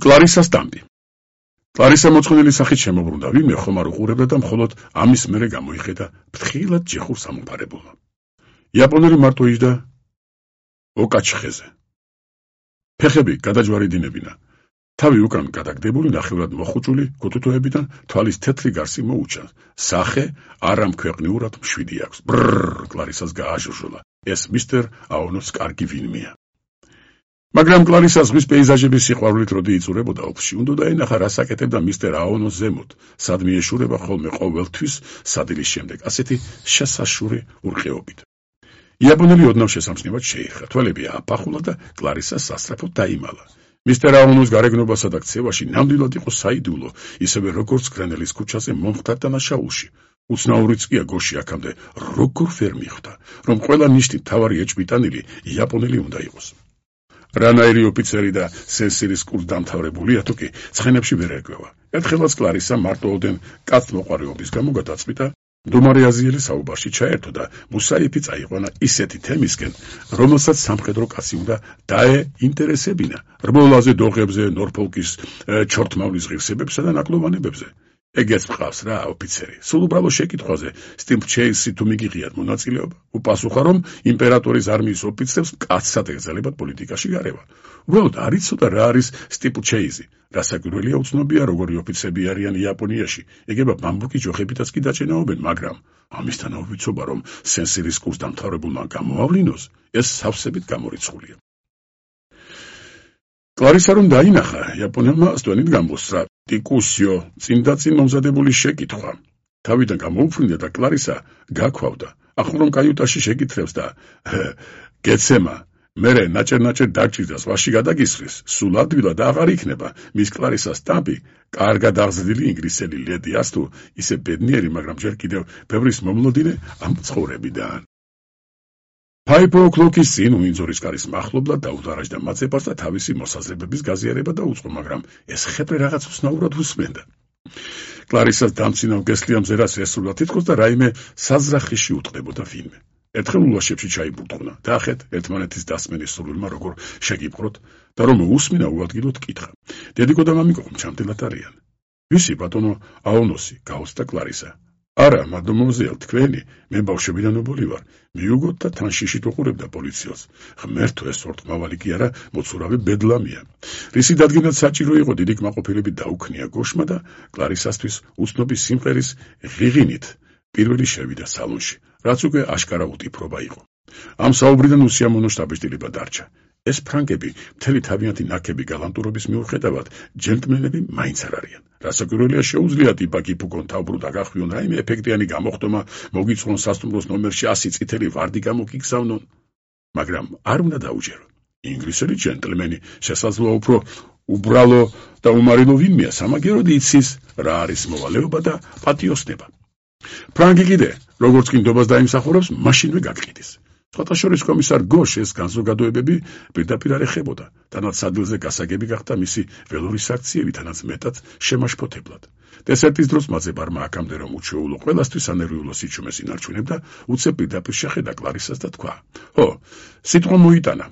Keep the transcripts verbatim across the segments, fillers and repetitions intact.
კლარისას დამბი. კლარისა მოწყენილი სახით შემოbrunდა ვინმე ხომ არ უყურებდა და მხოლოდ ამის მერე გამოიხედა ფრთხილად ჯეხურს ამომყარებულმა. იაპონელი მარტო იჯდა ოკაჩხეზე. ფეხები გადაჯვარედინებინა. თავი უკან გადაგდებული ნახევრად მოხუჭული გუთუთოებიდან თვალის თეთრი გარსი მოუჩა. სახე არამქვეყნიურად მშვიდი აქვს. ბრrrr კლარისას გააჟურჟულა. ეს მისტერ აონოს კარგი ვინმეა. მაგრამ კლარისას ზღვის პეიზაჟების სიყვარულით როდი იწურებოდა ოფში, უნდა დაენახა რას აკეთებდა მისტერ აონოს ზემოთ, სად მიეშურება ხოლმე ყოველთვის სადილის შემდეგ, ასეთი შესაშური ურყეობით. იაპონელი ოდნავ შესამჩნევად შეიხა, თვალები ააფახულა და კლარისა სასწრაფოდ დაიმალა. მისტერ აონოს გარეგნობასა და ქცევაში ნამდვილად იყო საიდუმლო, ისევე როგორც გრენელის ქუჩაზე მომხდარ დანაშაულში. უცნაურიც კი გოში აქამდე როგორ ვერ მიხვდა, რომ ყველა ნიშნით მთავარი ეჭვმიტანილი იაპონელი უნდა იყოს. რანაირი ოფიცერი და სენსირის კურსდამთავრებულია თუ კი ცხენებში ვერ ერკვევა. ერთხელაც კლარისა მარტოოდენ კაცმოყვარეობის გამო გადაწყვიტა მდუმარე აზიელი საუბარში ჩაერთო და მუსაიფი წაიყვანა ისეთი თემისკენ, რომელსაც სამხედრო კაცი უნდა დაეინტერესებინა რბოლაზე, დოღებზე, ნორფოლკის ჩორთმავლის ღირსებებსა და ნაკლოვანებებზე. ეგეც მყავს რა ოფიცერი. სულ უბრალო შეკითხვაზე სტიმპჩეისი თუ მიგიღიათ მონაწილეობა, უპასუხა რომ იმპერატორის არმიის ოფიცრებს კაცად ეკრძალებათ პოლიტიკაში გარევა. უბრალოდ არ იცოდა რა არის სტიმპჩეისი. რასაკვირველია უცნობია როგორი ოფიცრები არიან იაპონიაში. ეგება ბამბუკი ჯოხებითაც კი დაჭენაობენ, მაგრამ ამისთან აუვიცობა რომ სენსირის კურსდამთავრებულმა გამოავლინოს, ეს სავსებით გამორიცხულია. კლარისა რომ დაინახა, იაპონელმა სტვენით გამოსცრა ტიკუსიო, წინდაწინ მომზადებული შეკითხვა. თავიდან გამოუფრინდა და კლარისა გაქვავდა. ახლა რომ კაიუტაში შეკითრებს და გეცემა, მერე ნაჭერ-ნაჭერ დაჭირდა ზღვაში გადაგისხრის, სულ ადვილად აღარ იქნება მის კლარისას სტამპი, კარგად აღზრდილი ინგლისელი ლედი ასთუ, ისე ბედნიერი, მაგრამ ჯერ კიდევ ბევრის მომლოდინე ამ ცხოვრებიდან. ფაივ ო'კლოკის წინ უინძორის კარის მახლობლად დაუდარაჯდა მაცეპარს და თავისი მოსაზრებების გაზიარება დაუწყო, მაგრამ ეს ხეპრე რაღაც უცნაურად უსმენდა. კლარისას დამცინავ გესლია მზერას ესრულა თითქოს და რაიმე საზრახიში უტყდებოდა ვინმე. ერთხელ ულაშებში ჩაიბურტყნა, დაახეთ ერთმანეთის დასმენის სურვილმა როგორ შეგიპყროთ და რომ უსმინა უადგილოდ კითხა. დედიკო და მამიკო ჩამდელად არიან. ვისი ბატონო აონოსი, გაუცდა კლარისა. არა, მადმოზელ, თქვენი, მე ბავშვებიდან უბოლი ვარ. მიუგოთ და თან შიშით უყურებდა პოლიციელს. ღმერთო, ეს ორტმავალი კი არა, მოცურავი ბედლამია. რისი დადგენად საჭირო იყო დიდი კმაყოფილებით დაუქნია გოშმა და კლარისასთვის უცნობი სიმღერის ღიღინით პირველი შევიდა სალონში, რაც უკვე აშკარა უტიფრობა იყო. ამ საუბრიდან უსიამოვნო შთაბეჭდილება დარჩა. ეს ფრანგები მთელი თავიანთი ნაკები გალანტურობის მიუხედავად ჯენტლმენები მაინც არ არიან. რასაკვირველია შეუძლიათ იპაკი ფუგონ თავბრუდა გახვიონ რაიმე ეფექტიანი გამოხდომა, მოგიწყონ სასტუმროს ნომერში ასი წითელი ვარდი გამოგიგზავნონ, მაგრამ არ უნდა დაუჯერო. ინგლისელი ჯენტლმენი შესაძლოა უფრო უბრალო და უმარილო ვინმეა, სამაგეროდ იცის რა არის მოვალეობა და პატიოსნება. ფრანგი კიდე, როგორც კი ნდობას დაიმსახურებს, მაშინვე გაგყიდის. სხვათა შორის კომისარ გოშ ეს განზოგადოებები პირდაპირ არ ეხებოდა, თანაც სადილზე გასაგები გახდა მისი ველური საქციელი, თანაც მეტად შემაშფოთებლად. დესერტის დროს მაცეპარმა აქამდე რომ უჩვეულო ყველასთვის ანერვიულო სიჩუმეს ინარჩუნებდა, უცებ პირდაპირ შეხედა კლარისას და თქვა: "ჰო, სიტყვა მოიტანა."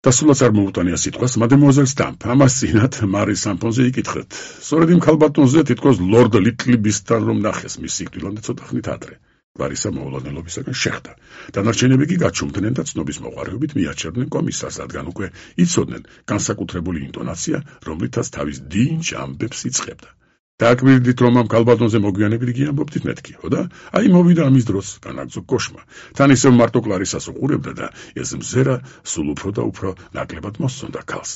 და სულაც არ მოუტანია სიტყვას მადემუაზელ სტამპ, ამას წინათ მარი სამფონზე იკითხეთ. სწორედ იმ ქალბატონზე თითქოს ლორდ ლიტლბისთან რომ ნახეს მის სიკვდილამდე ცოტა ხნით ადრე. კლარისა მოულოდნელობისაგან შეხდა. დანარჩენები კი გაჩუმდნენ და ცნობის მოყარეობით მიაჩერდნენ კომისარს, რადგან უკვე იცოდნენ განსაკუთრებული ინტონაცია, რომლითაც თავის დინჯ ამბებს იწყებდა. დააკვირდით რომ ამ ქალბატონზე მოგვიანებით გიამბობდით მეთქი, ხო და? აი მოვიდა ამის დროს, განაგრძო გოშმა. თან ისევ მარტო კლარისას უყურებდა და ეს მზერა სულ უფრო და უფრო ნაკლებად მოსწონდა ქალს.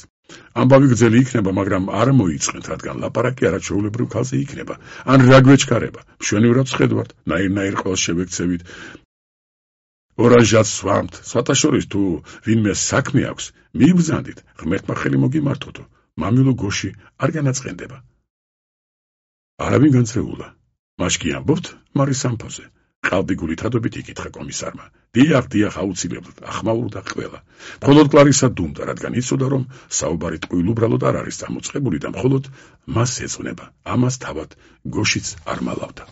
ამბავი გრძელი იქნება, მაგრამ არ მოიწყენთ, რადგან ლაპარაკი არაჩვეულებრივ ქალზე იქნება. ან რა გვეჩქარება, მშვენივრად ვხედავთ, ნაირ-ნაირ ყველს შევექცევით. ორანჟად სვამთ, სხვათა შორის თუ ვინმე საქმე აქვს, მიიბრძანდით, ღმერთმა ხელი მოგიმართოთო, მამილო გოში არ განაწყენდება. არავინ განწრეულა. მაშკი ამბობთ მარი სამფოზე. ყალბიგული თადობით იკითხა კომისარმა. დიახ, დიახ, აუცილებლად, ახმაურდა ყველა. მხოლოდ კლარისა დუმდა, რადგან იცოდა, რომ საუბარი ტყუილ უბრალოდ არ არის წამოწყებული და მხოლოდ მას ეძღვნება. ამას თავად გოშიც არ მალავდა.